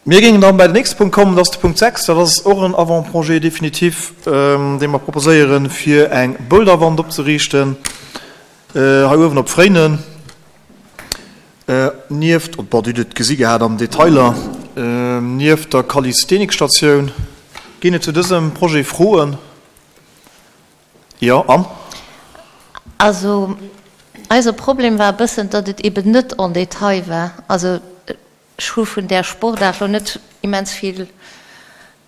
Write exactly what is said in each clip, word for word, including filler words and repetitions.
Mir géingen dann bei den nächste Punkt kommen, dat ass de Punkt sechs. Dat ass och en Avant-projet définitif, dee mer proposéieren, fir eng Boulderwand opzeriichten hei uewen op Fréinen, nieft, bon, Dir hutt et gesi gehat an den Detailer, nieft der Calisthenics-Statioun. Ginn et zu dësem Projet Froen? Jo, Anne? Also, eise Problem war e bëssen, datt et eben net en détail war. Also, ech hu vun där Sportaart lo net immens vill,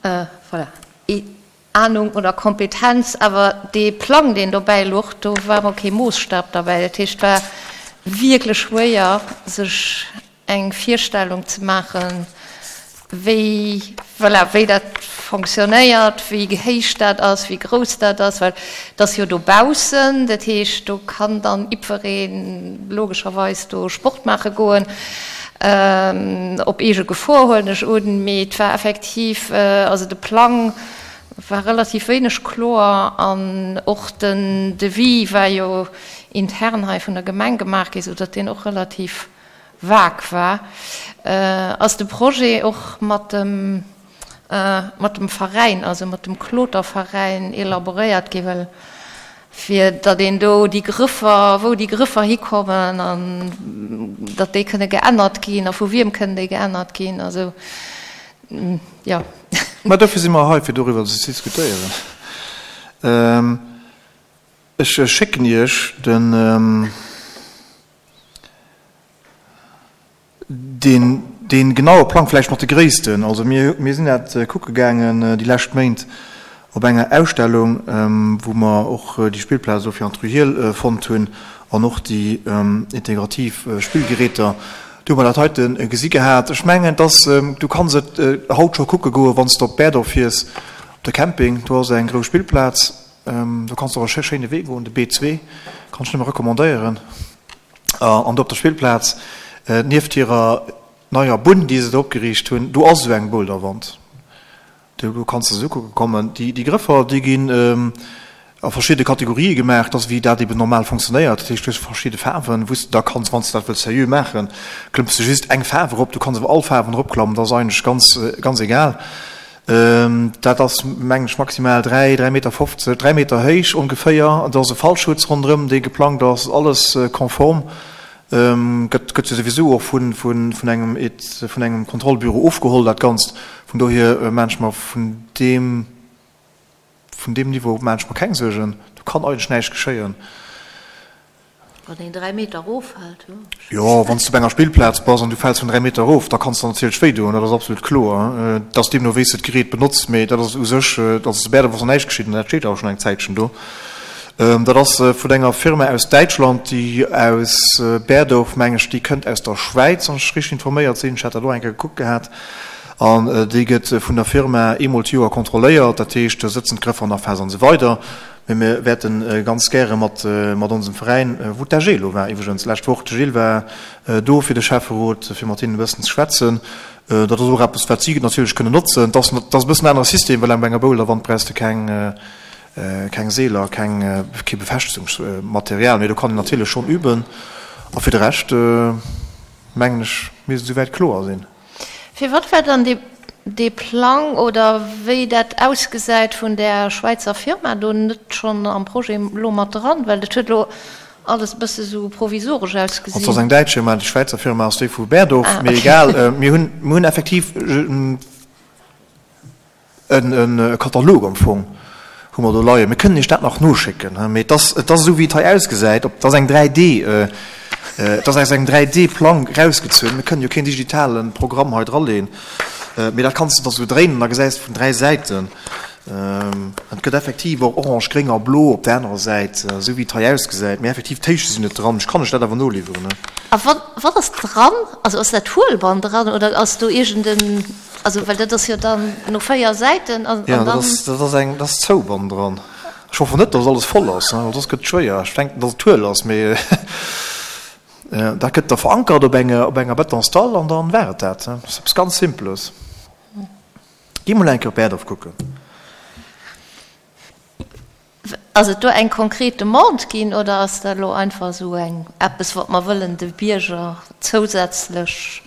voilà, Anung oder Kompetenz, awer dee Plang, deen dobäi luch, do war emol kee Moosstab derbäi. Dat heescht, et war wierklech schwéier, sech eng Virstellung ze maachen, wéi, voilà, wéi dat fonctionnéiert, wéi héich dat ass, wéi grouss dat ass, well et ass jo dobaussen, dat heescht, do kann dann jiddweree logescherweis do Sport maache goen, op eege Gefor, huelen ech un. Mee et war effektiv, also de Plang war relativ wéineg kloer an och den Devis war jo intern hei vun der Gemeng gemaach gi, soudatt deen och relativ vague war. Ass de Projet och mat dem mat dem Veräin, also mat dem Kloterveräin elaboréiert gi, well fir datt een do déi Grëffer, wou déi Grëffer hikommen an datt déi kënne geännert ginn a vu wiem kënnen déi geännert ginn, also jo. Mä dofir si mer hei, fir doriwwer ze diskutéieren. Ech schécken Iech den. Deen, dee genaue Plang vläicht mat de Gréissten. Also mir, mir sinn dat kucke gaangen déi lescht Méint op enger Ausstellung, wou mer och déi Spillplaz do fir an d'Rue Hiehl fonnt hunn an och déi integrativ Spillgeräter. Do hu mer dat heite gesi gehat. Ech mengen, dass, du kanns et haut scho kucke goen, wann s de op Berdorf fiers, op de Camping, do ass eng grouss Spillplaz. Do kanns de och e schéine Wee goen, de B zwee, kann ech nëmme recommandéieren. An do op der Spillplaz, nieft hirer neier Bunn, déi se do opgeriicht hunn, do ass esou eng Boulderwand. Do kanns de se ukucke kommen. Déi Grëffer, déi ginn a verschidde Kategorië gemaach, dat ass wéi dat eben normal fonctionnéiert. Dat heescht, du hues verschidde Faarwen, wou s de da kanns, wann s de dat wëlls seriö maachen, klëmms de just eng Faarf erop. Du kanns awer all Faarwen eropklammen, dat ass eigentlech ganz, ganz egal. Dat ass, mengen ech, maximal dräi, dräi Meter fofzeg, dräi Meter héich ongeféier. Do ass e Fallschutz ronderëm, dee geplangt ass, alles konform. Gëtt, gëtt jo souwisou och vun, vun, vun engem, vun engem Kontrollbüro ofgeholl, dat Ganzt. Vun dohier maan ech mer vun deem, vun deem Niveau maan ech mer keng Suergen. Do kann eigentlech näischt geschéien. Wann een dräi Meter eroffält, jo. Jo, wann s de op enger Spillplaz bass an du fäls vun dräi Meter erof, da kanns de natierlech wéi doen, dat ass absolut kloer. Et ass deemno wéi s de d'Gerät benotz, mee dat ass u sech, also zu Bäerdref ass nach näischt geschitt an dat steet awer schonn eng Zäitchen do. Dat ass vun enger Firma aus Däitschland, déi aus Berdorf, meng ech, déi kënnt aus der Schwäiz, wann ech richteg informéiert sinn, ech hat dat och eng Kéier gekuckt gehat, an déi gëtt vun der Firma eemol d'Joer kontrolléiert, dat heescht, do sëtzen d'Grëffer nach fest an esou weider. Mee mir wäerte ganz gäre mat onsem Veräin, wou d'A G elo war iwwregens d'lescht Woch, de Gilles war do fir de Schäfferot, fir mat hinnen e bëssen ze schwätzen. Dat ass och eppes, wat si natierlech kënnen notzen. Et ass e bëssen anere System, well bei enger Boulderwand brauchs de keng, keng Seeler, keng, kee Befestegungsmaterial. Mee do kann een natierlech schonn üben. A fir de Rescht, mengen ech, misst et esouwäit kloer sinn. Firwat war dann dee Plang oder wéi dat ausgesäit vun där Schwäizer Firma do net schonn am Projet elo mat dran? Well dat huet elo alles e bësse sou provisoresch ausgesinn. Also ass eng däitsch Firma, déi Schwäizer Firma ass déi vu Berdorf, mee egal. Mir hunn, mir hunn effektiv E Katalog am Fong hu mer do leien. Mir kënnen Iech dat nach noschécken, mee et ass, et ass esou wéi et hei ausgesäit, op, et ass eng dräi D, et ass aus engem dräi D-Plang erausgezunn. Mir kënnen jo keen digitale Programm hei draleen, mee dat kanns de da sou dréinen an da gesäis de vun dräi Säiten. Et gëtt effektiv och orange, gréng a blo op der anerer Säit, esou wéi et hei ausgesäit, mee effektiv d'Héichte sinn net dran. Ech kann Iech dat awer noliwweren. A wat, wat ass dran? Also ass dat Huelband dran oder ass do iergend en. Also, well dat ass jo dann no véier Säiten an dann. Jo, dat ass, dat ass eng, dat ass Zouband dran. Ech hoffen net, dass alles voll ass, well soss gëtt et schwéier. Ech denken, dass et huel ass, mee dat gëtt da verankert op enge, op enger Betonsdall an dann war et dat. Dat ass eppes ganz Simples. Gi mol eng Kéier op Berdorf kucken. Ass et do eng konkret Demande ginn oder ass dat elo einfach esou eng eppes, wat mer wëllen de Bierger zousätzlech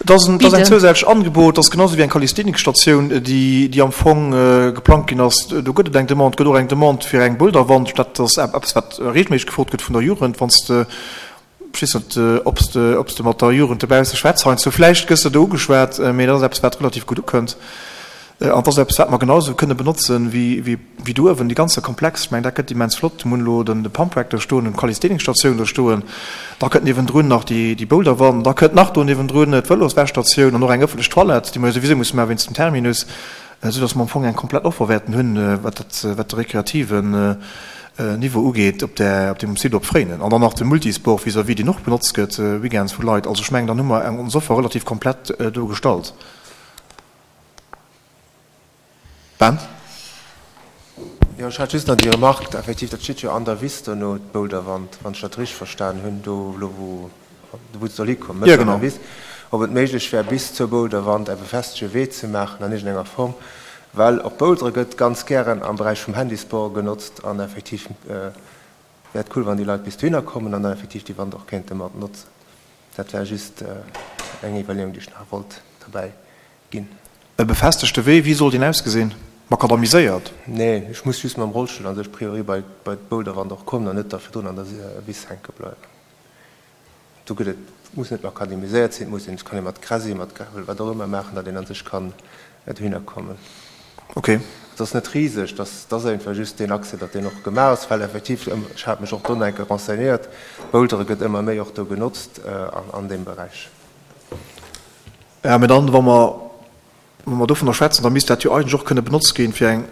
Dat ass en, dat ass eng zousätzlech Angebot, dat ass genauso wéi eng Calisthenics-Statioun, déi, déi am Fong geplangt ginn ass. Do gëtt et eng Demande, et gëtt och eng Demande fir eng Boulderwand. Dat ass eppes, wat regelméisseg gefrot gëtt vun der Jugend. Wann s de, ech weess net, ob s de, ob s de mat der Jugend dobausse schwätz heiansdo, vläicht gëss de do ugeschwat, mee dat ass eppes, wat relativ gutt ukënnt. An dat ass eppes, wat mer genausou kënne benotzen, wéi, wéi, wéi do uewen, dee ganze Komplex. Ech mengen, dat gëtt immens flott. Mir hunn elo den, de Pumptrack do stoen, hunn d'Calisthenics-Statioun do stoen. Da kënnt niewendrun nach déi, déi Boulderwand. Da kënnt nach do niewendrun d'Vëloswäschstatioun an och eng ëffentlech Toilette, déi mer jo souwisou musse maachen wéinst dem Terminus, soudass mer am Fong eng komplett Offer wäerten hunn, wat dat, wat de rekreativen Niveau ugeet op där, op deem Site op Fréinen. An dann nach de Multisport vis-à-vis, deen och benotzt gëtt weekends vu Leit. Also ech mengen, dann hu mer eng, ons Offer relativ komplett do gestallt. Ben? Jo, ech hat just nach déi Remarque, effektiv, dat steet jo an der Wiss dono, d'Boulderwand, wann ech dat richteg verstan hunn, do elo wou, wou et soll hikommen, Ja, mëtten an genau. der Wiss, ob et méiglech wär, bis zur Boulderwand e befestegte Wee ze maachen an iergendenger Form, well och Bouldere gëtt ganz gären am Beräich vum Handysport genotzt an effektiv wär et cool, wann déi Leit bis dohinner kommen an dann effektiv déi Wand och kéinte mat notzen. Dat war just eng Iwwerleeung, déi ech nach wollt derbäi ginn. E befestegte Wee, wéi soll deen ausgesinn? Makadamiséiert? Nee, ech muss just mam Rollstull an sech priori bei bei d'Boulderwand och kommen an net da virdrun an der Wiss hänke bleiwen. Do gëtt et, muss net makadamiséiert sinn, et muss een, et kann ee mat Gras, mat Gravel, wat och ëmmer maachen, datt een an sech kann dohinner kommen. Ok. Et ass net riseg, et ass, et ass einfach just deen Accès, datt deen och gemaach ass, well effektiv, ech hat mech och do nach eng Kéier renseignéiert, d'Bouldere gëtt ëmmer méi och do genotzt an an deem Beräich. Ja, mä dann, wa mer, wa mer dovunner schwätzen, da misst dat jo eigentlech och kënne benotzt ginn, fir eng,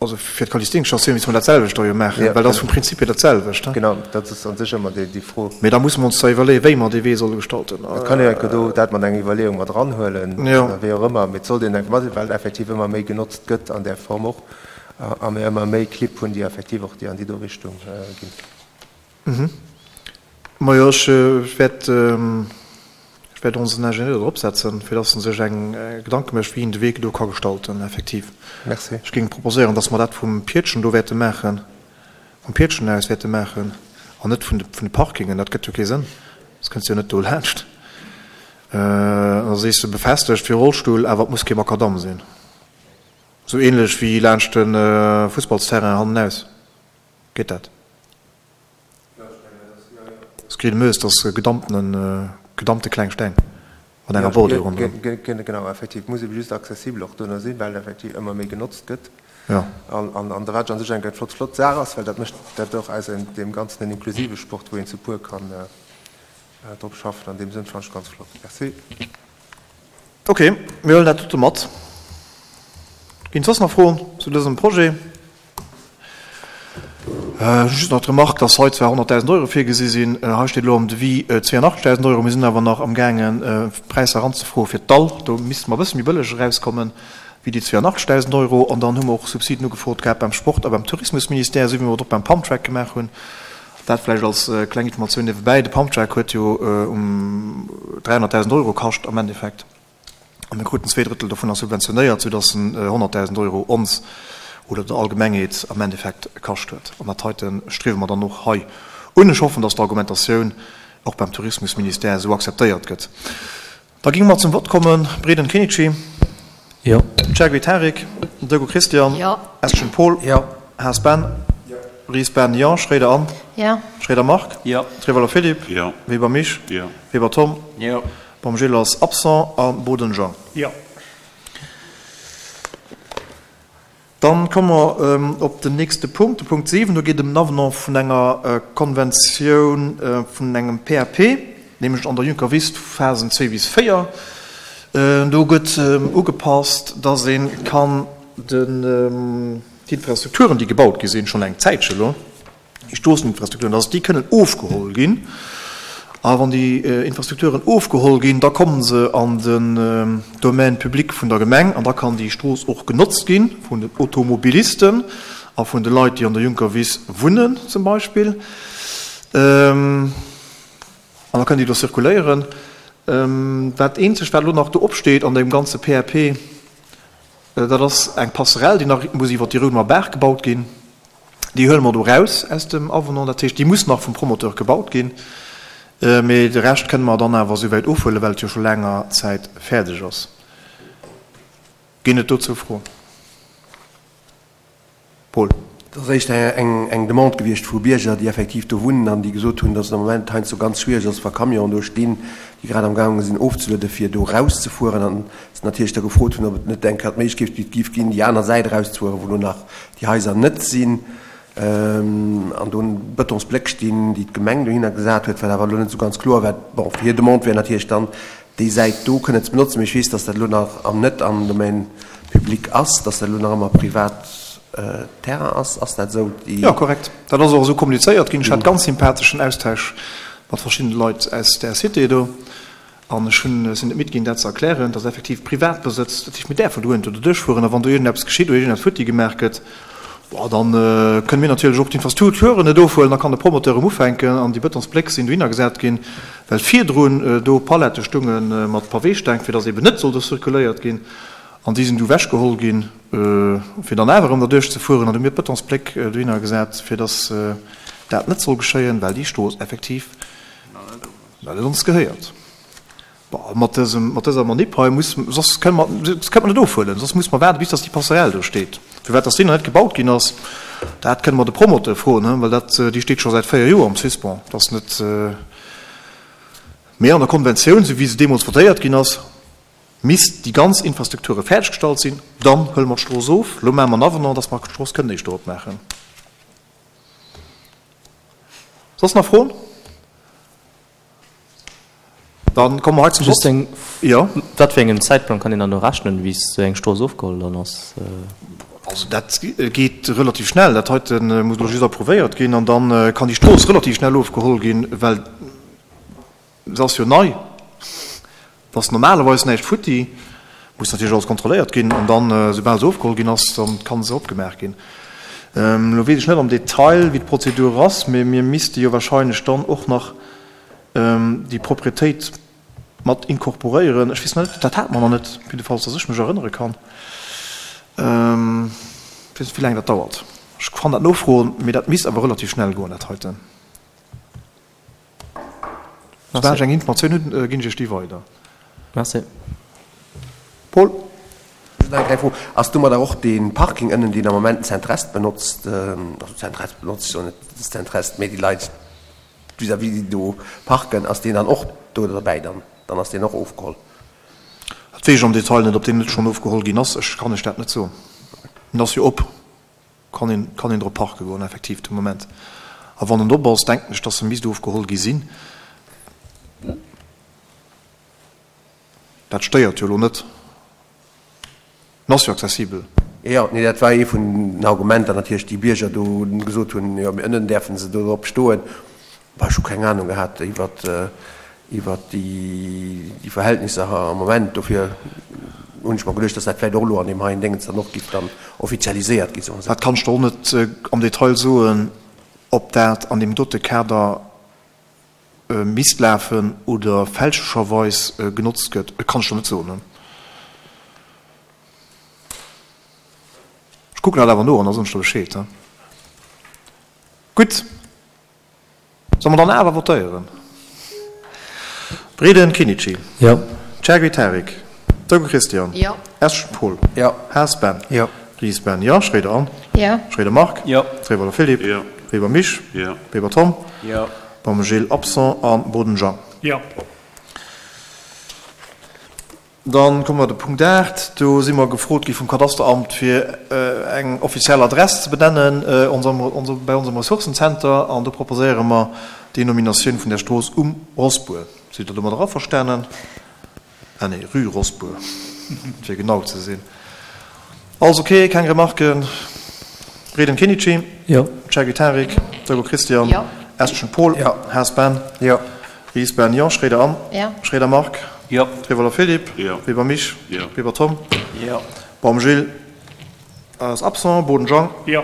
also fir d'Calisthenics-Statioun misste mer dat selwecht da jo maachen, Ja, well dat ass genau. vum Prinzip hier dat selwecht, he? Genau, dat ass a sech ëmmer déi, déi Fro. Mee da musse mer ons da iwwerleeën, wéi mer dee Wee solle gestalten. Et kann een enke do dat mat enger Iwwerleeung mat eranhuelen, Jo. oder wéi och ëmmer, mee et sollt een enke mat, well effektiv ëmmer méi genotzt gëtt an där Form och a mir ëmmer méi Clibb hunn, déi effektiv och déi an déi do Richtung ginn. Majo, ech wäert, ech wäert onsen Ingenieur do drop setzen, fir dass en sech eng Gedanke mécht, wéi een de Wee do ka gestalten, effektiv. Merci. Ech géing proposéieren, dass mer dat vum Pietschen do wäerte maachen, vum Pietschen aus wäerte maachen an net vun de, vun de Parkingen. Dat gëtt jo kee Sënn. S kënns jo net do laanscht. Da sees de befestegt fir Rollstull, awer et muss kee Makadamm sinn. Esou ähnlech wéi laanscht de Fussballsterrain hannenaus. Geet dat? S kritt e Meuse, dat ass gedamptenen, gedampte kleng Steng mat enger Bordure ronderëm. Genau, effektiv. Muss ebe just accessibel och dono sinn, well effektiv ëmmer méi genotzt gëtt. Jo. An, an da wat an sech eng flott, flott Saach ass, well dat mécht dat och aus deem Ganzen en inklusive Sport, wou een zu puer kann drop schaffen. An deem Sënn fannen ech ganz flott. Merci. Ok, mir huelen dat dote mat. Ginn et soss nach Froen zu dësem Projet? Just nach d'Remark, dass hei zwar honnertdausend Euro virgesi sinn, hei steet elo am Devis zweeënachtzegdausend Euro. Mir sinn awer nach amgaangen, Präisser eranzefroe fir d'Dall. Do misste mer e bësse méi bëlleg erauskommen wéi déi zweeënachtzegdausend Euro. An dann hu mer och Subsiden ugefrot gehat beim Sport a beim Tourismusministère, esou wéi mer et och beim Pumptrack gemaach hunn. Dat vläicht als kleng Informatioun niewebäi. De Pumptrack huet jo um dräihonnertdausend Euro kascht am Endeffekt. A mir kruten zwee Drëttel dovunner subventionéiert, soudass en honnertdausend Euro ons oder der Allgemengheet am Endeffekt kascht huet. An dat heite striewe mer dann och hei un. Ech hoffen, dass d'Argumentatioun och beim Tourismusministère esou akzeptéiert gëtt. Da géinge mer zum Vott kommen. Breden Kenichi. Jo. Chergui Tarik. Deco Christian. Jo. Eschen Paul. Jo. Haas Ben. Jo. Ries Ben, jo. Schroeder Anne. Jo. Schroeder Marc. Jo. Trevelo Philippe. Jo. Weber Mich. Jo. Weber Tom. Jo. Baum Gilles ass absent a Boden Jean. Jo. Dann komme mer op den nächste Punkt, de Punkt siwen. Do geet et ëm den Avenant vun enger Konventioun vun engem P A P, nämlech an der Juncker Wiss, Phasen zwee bis véier. Do gëtt ugepasst, dass ee kann d'Infrastrukturen, déi gebaut gi sinn, schonn eng Zäitche elo, déi Stroosseninfrastrukturen, dass déi kënnen ofgeholl ginn. A wann déi Infrastrukturen ofgeholl ginn, da komme se an den Domaine public vun der Gemeng an da kann déi Strooss och genotzt gi vun den Automobilisten a vun de Leit, déi an der Juncker Wiss wunnen zum Beispill. An da kënnen déi do zirkuléieren. Dat Eenzegt, wat elo nach do opsteet an deem ganze P A P, dat ass eng Passerelle, déi nach muss iwwer déi Roudemer Baach gebaut ginn. Déi huele mer do raus aus dem Avenant. Dat heescht, déi muss nach vum Promoteur gebaut ginn. Mee de Rescht kënne mer dann awer esouwäit ofhuelen, well et jo scho laanger Zäit fäerdeg ass. Ginn et dozou Froen? Paul. Et ass éischter eng Demande gewiescht vu Bierger, déi effektiv do wunnen an déi gesot hunn, dass et am Moment heiansdo ganz schwiereg ass, wa Camionen do stinn, déi grad amgaange sinn ofzelueden, fir do erauszefueren. An se natierlech da gefrot hunn, ob et net eng Kéier d'Méiglechkeet géif ginn, déi aner Säit erauszefueren, wou elo nach déi Haiser net sinn an do Betonsbléck stinn, déi d'Gemeng dohinner gesat huet, wat awer elo net esou ganz kloer war. Bon, hir Demande wär natierlech dann, déi Säit do kënnen ze benotzen. Mee ech weess, dass dat elo nach am net am Domaine public ass, dass dat elo nach ëmmer privat Terrain ass. Ass dat esou? Déi. Jo, korrekt. Dat ass och esou kommunizéiert ginn. Ech hat ganz sympatheschen Austausch mat verschiddene Leit aus där Cité do. An ech hunn, sinn net midd ginn, dat ze erklären, dass effektiv Privatbesëtz, dat heescht, mir däerfen dohinter doduerch fueren. A wann do iergendeppes geschitt oder iergendeppes futti gemaach gëtt, bon, da kënne mir natierlech och d'Infrastrukturen net ofhuelen. Da kann de Promoteur erëm ufänken an déi Betonsbléck sinn dohinner gesat ginn, well virdrun do Palette stunge mat Paweesteng, fir dass eeben net soll do zirkuléiert ginn. An déi sinn du ewechgeholl ginn, fir dann awer erëm derduerch ze fueren. An du hu mir d'Betonsbléck dohinner gesat, fir dass dat net soll geschéien, well déi Strooss effektiv well et ons gehéiert. Bon, mat dësem, mat dëser Manip hei muss, soss kënne mer, soss kënne mer net ofhuelen, soss muss mer waarden, bis dass déi Passerelle do steet. Firwat dass déi nach net gebaut ginn ass, dat kënne mer de Promoteur froen, well dat, déi steet scho säit véier Joer am Suspens. Dat ass net, mee an der Konventioun, esou wéi se deemools votéiert ginn ass, misst déi ganz Infrastrukture fäerdeggestallt sinn, dann huele mer d'Strooss of. Elo maache mer en Avenant, dass mer d'Strooss kënnen éischter opmaachen. Soss nach Froen? Dann komme mer hei zum Just eng, Jo. Wat fir engem Zäitplang kann een dann do rechnen, wéi esou eng Strooss ofgeholl dann ass? Also dat geet relativ schnell. Dat heite muss elo just approuvéiert ginn an da kann déi Strooss relativ schnell ofgeholl ginn, well se ass jo nei. Et ass normalerweis näischt futti, muss natierlech alles kontrolléiert ginn an dann, soubal se ofgeholl ginn ass, dann kann se opgemaach ginn. Elo weess ech net am Detail, wéi d'Prozedur ass, mee mir misste jo wahrscheinlech dann och nach déi Propriétéit mat inkorporéieren. Ech weess net, dat hate mer nach net, jiddefalls datt ech mech erënnere kann. Ech weess net, wéi laang dat dauert. Ech kann dat nofroen, mee dat misst awer relativ schnell goen, dat heiten. Soubal ech eng Informatioun hunn, ginn ech Iech déi weider. Merci. Paul. Just nach eng kleng Fro, Ass domadder och dee Parking ënnen, deen am Moment den Zentrest benotzt, also Zentrest benotzt, ech soen net Zentrest, mee déi Leit, vis-à-vis déi do parken, ass deen dann och do derbäi dann? Dann ass deen och ofgeholl? Dat weess ech am Detail net, ob deen net schonn ofgeholl ginn ass. Ech kann lech dat net soen. En ass jo op, kann een, kann een drop parke goen effektiv de Moment. A wann en op ass, denken ech, datt e misst ofgeholl gi sinn. Dat stéiert jo elo net. En ass jo accessibel. Jo, jo, nee, dat war ee vun den Argumenter natierlech, déi Bierger do gesot hunn, jo, mee ënnen däerfe se do drop stoen. Bah, ech hu keng Anung gehat iwwert, iwwert déi, déi Verhältnisser am Moment. Dofir hunn ech mer geduecht, dass dat vläicht och elo an deem heien Déngens dann och giff dann offizialiséiert gi, soe mer esou. Dat kann ech der och net am Detail soen, ob dat an deem dote Kader misst lafen oder fälschlecherweis genotzt gëtt. Et kann ech der net soen. Ech kucken dat awer no an da soen ech der Bescheed. Gutt, solle mer dann awer votéieren? Breden Kinnici. Jo. Chergui Tarik. Togo Christian. Jo. Esch Paul. Jo. Haas Ben. Jo. Ries Ben. Jo. Schroeder Anne. Jo. Schroeder Marc. Jo. Trewolder Philippe. Jo. Weber Misch. Jo. Weber Tom. Jo. Baum Gilles, absent, a Boden Jean. Jo. Dann komme mer de Punkt aacht. Do si mer gefrot gi vum Kadasteramt, fir eng offiziell Adress ze benennen bei onsem Ressourcenzenter. An do proposéiere mer déi Nominatioun vun der Strooss Um Rossbuer. Sidd Der domadder averstanen? Ah nee, Rue Rossbuer, fir genau ze sinn. Alles ok, keng Remarken? Redem Kinnici? Jo. Chergui Tarik? Togo Christian? Jo. Eschen Paul? Jo. Haas Ben? Jo. Ries Ben? Jo. Schroeder Anne? Jo. Schroeder Marc? Jo. Trewolder Philippe? Jo. Weber Misch? Jo. Weber Tom? Jo. Baum Gilles ass absent. Boden Jean? Jo.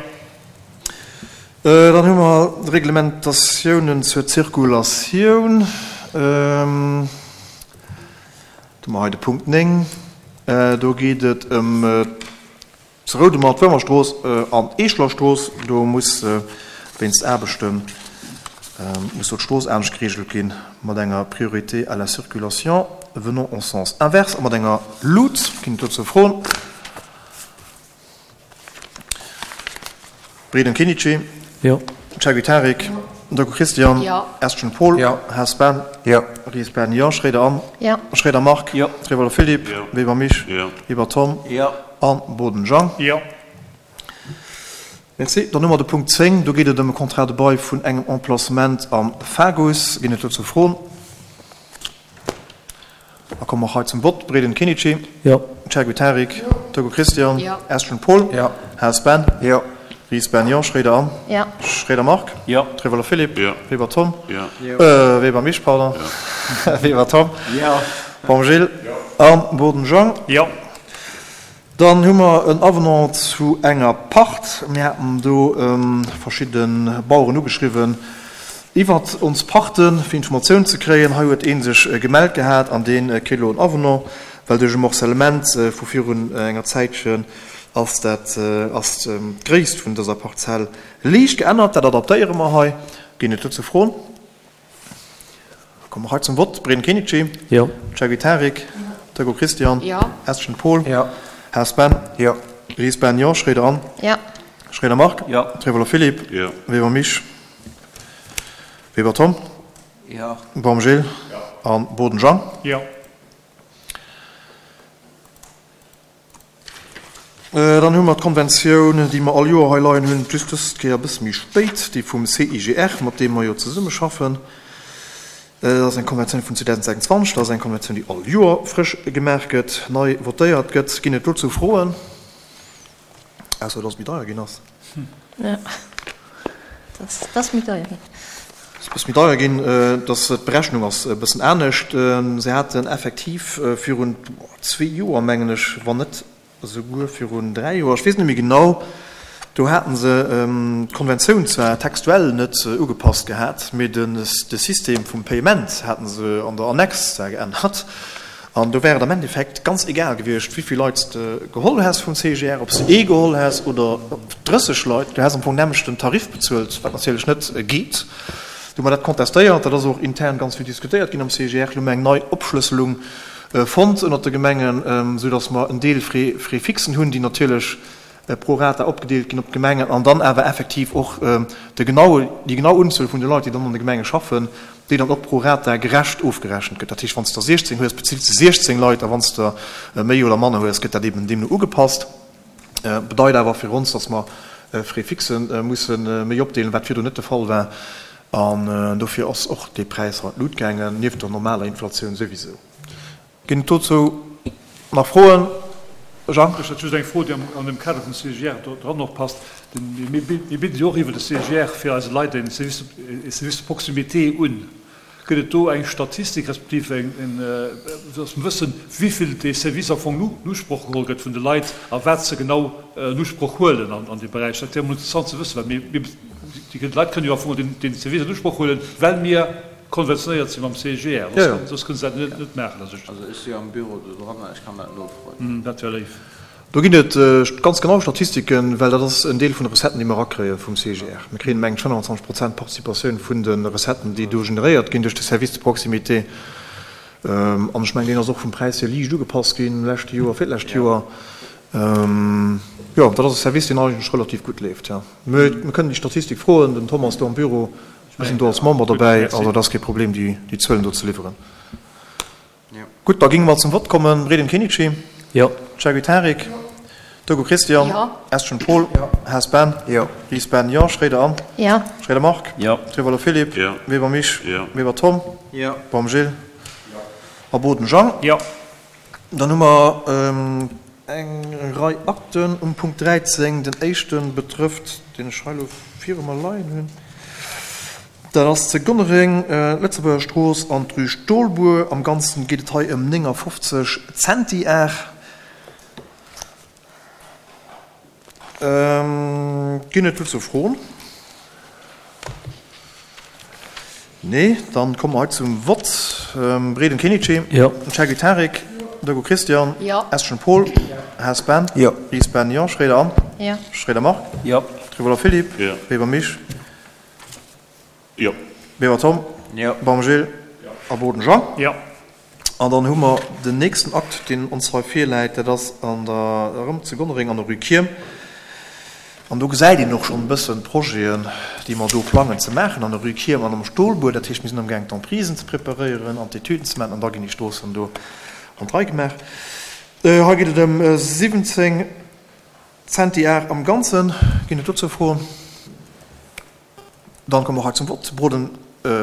Dann hu mer d'Reglementatiounen zur Zirkulatioun. Do hu mer hei de Punkt néng. Do geet et ëm zu Roudemer d'Wërmerstrooss an d'Eeschelerstrooss. Do muss wéinst Aarbechten Muss do d'Strooss anescht gereegelt ginn, mat enger Priorité à la circulation venant en sens inverse a mat enger Luut. Ginn et dozou Froen? Breden Kenichi? Jo. Chergui Tarik? Doku Christian? Jo. Estgen Paul? Jo. Haas Ben? Jo. Ries Ben? Jo. Schroeder Anne? Jo. Schroeder Marc? Jo. Trevolo Philippe? Jo. Weber Mich? Jo. Weber Tom? Jo. An Boden Jean? Jo. Merci. Dann hu mer de Punkt zéng. Do geet et ëm e Contrat de bail vun engem Emplacement am Fagus. Ginn et dozou Froen? Da komme mer hei zum Vott. Breden Kenichi? Jo. Chergui Tarik? Jo. Togo Christian? Jo. Estgen Paul? Jo. Haas Ben? Jo. Ries Ben? Jo. Schroeder Anne? Jo. Schroeder Marc? Jo. Trevolo Philippe? Jo. Weber Tom? Jo. Äh, Weber Mich, pardon. Weber Tom? Jo. Baum Gilles? An Boden Jean? Jo. Dann hu mer en Avenant zu enger Pacht. Mir haten do verschidde Baueren ugeschriwwen iwwert ons Pachten, fir Informatioun ze kréien. Hei huet ee sech gemellt gehat an dee kritt elo en Avenant, well duerch e Morcellement vu virun enger Zäitchen ass dat, ass d'Gréisst vun dëser Parzell liicht geännert. Dat adaptéiere mer hei. Ginn et dozou Froen? Komme mer hei zum Vott. Breden Kenichi? Jo. Chergui Tarik? Togo Christian? Jo. Estgen Paul? Jo. Haas Ben? Jo. Ries Ben? Jo. Schroeder Anne? Jo. Schroeder Marc? Jo. Trevolo Philippe? Jo. Weber Mich? Weber Tom? Jo. Baum Gilles? An Boden Jean? Jo. Dann hu mer d'Konventioun, déi mer all Joer hei leien hunn, just dës Kéier e bësse méi spéit, déi vum C I G R, mat deem mer jo zesummeschaffen. Dat ass eng Konventioun vun zweitausendsechsundzwanzeg, dat ass eng Konventioun, déi all Joer frësch gemaach gëtt, nei votéiert gëtt. Ginn et dozou Froen? Ausser, dass et méi deier ginn ass. Ja, das, das méi deier ginn. Das ass méi deier ginn, dass d'Berechnung ass e bëssen anescht. Se haten effektiv virun zwee Joer, mengen ech, wann net esouguer virun dräi Joer, ech weess net méi genau, do haten se d'Konventioun zwar textuell net ugepasst gehat, mee de System vum Payement haten se an der Annex zwar geännert. An do wär et am Endeffekt ganz egal gewiescht, wéi vill Leit s de geholl häss vum C G R, ob s de ee geholl häss oder drësseg Leit, du häss am Fong nämlech den Tarif bezuelt, wat natierlech net geet. Do hu mer dat contestéiert, dat ass och intern ganz vill diskutéiert ginn am C G R. Lo hu mer eng nei Opschlësselung fonnt ënnert de Gemengen, soudass mer en Deel Frais, Frais fixen hunn, déi natierlech pro rata opgedeelt ginn op d'Gemengen an dann awer effektiv och de genaue, déi genau Unzuel vun de Leit, déi dann an de Gemenge schaffen, déi dann och pro rata gerecht ofgerechent gëtt. Dat heescht, wann s de siechzéng hues, bezills de siechzéng Leit, a wann s de méi oder manner hues, gëtt dat eben deemno ugepasst. Bedeit awer fir ons, dass mer Frais fixen musse méi opdeelen, wat virdrun net de Fall war. An dofir ass och dee Präis an d'Lut gaangen, nieft der normaler Inflatioun souwisou. Ginn et dozou nach Froen? Jean? Ech hätt just eng Fro, déi an dem Kader vum C G R do dran och passt. Mir bidden jo och iwwer de C G R fir eise Leit en Service, e Service de proximité un. Gëtt et do eng Statistik, respektiv eng, en, dass mer wëssen, wéi vill dee Service am Fong en Usproch geholl gëtt vun de Leit a wat se genau en Usproch huelen an, an deem Beräich? Dat wär emol interessant ze wëssen, well mir, mir, déi Leit kënnen jo am Fong den, den Service en Usproch huelen, well mir konventionéiert sinn mam C G R. Ja, ja. Soss kënnen se dat net, net maachen. Also ech, Also ech si am Büro do dran, ech kann dat nofroen. Hm, dat wär léif. Do ginn et ganz genau Statistiken, well dat ass en Deel vun de Recetten, déi mer erakréie vum C G R. Mir kréien, mengen ech, fënnanzwanzeg Prozent Participatioun vun de Recetten, déi do generéiert ginn duerch de Service de proximité. An ech mengen, deen ass och vum Präis hier liicht ugepasst ginn, leschte Joer, virlescht Joer. Jo, dat ass e Service, deen eigentlech relativ gutt leeft. Ja. Mir kënnen déi Statistik froen, den Thomas do am Büro, mir sinn do als Member dobäi, also dat ass kee Problem, déi, déi Zuelen do ze liwweren. Gutt, da géinge mer zum Vott kommen. Breden Kenichi? Jo. Chergui Tarik? Togo Christian? Jo. Estgen Paul? Jo. Haas Ben? Jo. Ries Ben? Jo. Schroeder Anne? Jo. Schroeder Marc? Jo. Trevolo Philippe? Jo. Weber Mich? Jo. Weber Tom? Jo. Baum Gilles? A Boden Jean? Jo. Dann hu mer eng Rei Akten um Punkt dräizéng. Den éischte betrëfft, deen ech hei elo viru mer leien hunn, dat ass ze Gonnereng, d'Lëtzebuerger Strooss an d'Rue Stolbuer. Am Ganzen geet et hei ëm néngafofzeg Centiar. Ginn et dozou Froen? Nee, dann komme mer hei zum Vott. Breden Kenichi? Jo. Chergui Tarik? Dogo Christian? Jo. Estgen Paul? Haas Ben? Jo. Ries Ben? Jo. Schroeder Anne? Jo. Schroeder Marc? Jo. Trevolo Philippe? Jo. Weber Mich? Jo. Weber Tom. Jo. Baum Gilles. A Boden Jean. Jo. An dann hu mer den nächsten Akt, deen ons hei virläit, dat ass an der, erëm zu Gonnereng an der Rue Kierm. An do gesäit een och schonn e bëssen d'Projeten, déi mer do plangen ze maachen an der Rue Kierm an am Stolbuer. Dat heescht, mir sinn amgaang d'Emprisen ze preparéieren an d'Etüden ze maachen an da ginn déi Stroossen do an d'Rei gemaach. Hei geet et ëm siwwenzéng Centiar am Ganzen. Ginn et dozou Froen? Dann komme mer och hei zum Vott. Broden,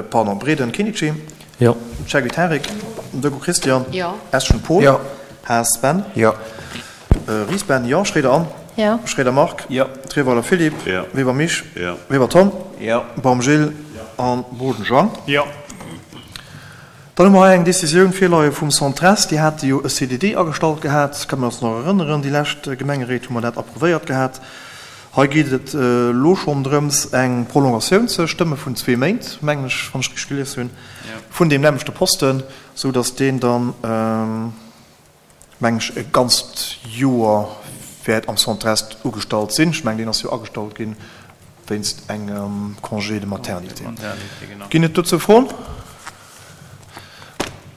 pardon, Breden Kenichi. Jo. Cheguy Tarik. Deco Christian. Jo. Eschen Paul. Jo. Haas Ben. Jo. Ries Ben, jo. Schroeder Anne. Jo. Schroeder Marc. Jo. Treweiler Philippe. Jo. Weber Misch. Jo. Weber Tom. Jo. Baum Gilles. An Boden Jean. Jo. Dann hu mer hei eng Décisioun virleie vum Centres. Déi hate jo e C D D agestallt gehat, kënne mer eis nach erënneren. Déi lescht Gemengeréit hu mer dat approuvéiert gehat. Hei geet et elo schonn drëms, eng Prolongatioun ze stëmme vun zwee Méint, mengen ech, wann ech richteg gelies hunn, vun deem nämmlechte Posten, sou datt deen dann, mengen ech, e ganzt Joer wäert am Centre-Est ugestallt sinn. Ech mengen, deen ass jo agestallt ginn wéinst engem Congé de maternité. Ginn et dozou Froen?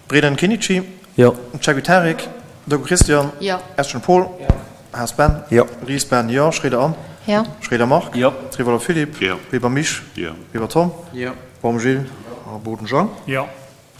Breden Kenichi? Jo. Cheguy Tarik? Deco Christian? Jo. Eschen Paul? Jo. Haas Ben? Jo. Ries Ben, jo. Schroeder Anne? Jo. Schroeder Marc? Jo. Treweiler Philippe? Jo. Weber Misch? Jo. Weber Tom? Jo. Baum Gilles? A Boden Jean? Jo.